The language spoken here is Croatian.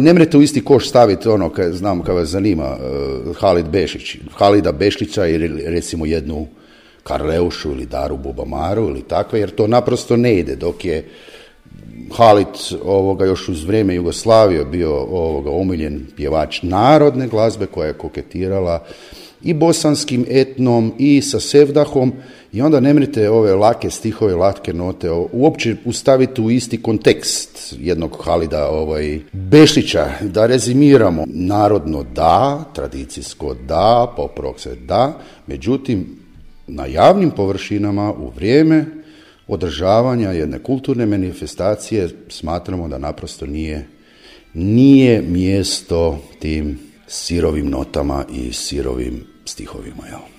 Ne mrete u isti koš staviti ono, znam kad vas zanima, Halida Bešlića ili recimo jednu Karleušu ili Daru Bubamaru ili takve, jer to naprosto ne ide, dok je Halid još uz vrijeme Jugoslavije bio omiljen pjevač narodne glazbe koja je koketirala i bosanskim etnom i sa sevdahom, i onda ne mrete ove lake stihove, lake note uopće ustaviti u isti kontekst jednog Halida Bešlića. Da rezimiramo, narodno da, tradicijsko da, pop rock se da, međutim na javnim površinama u vrijeme održavanja jedne kulturne manifestacije smatramo da naprosto nije mjesto tim sirovim notama i sirovim stihovima. Jel?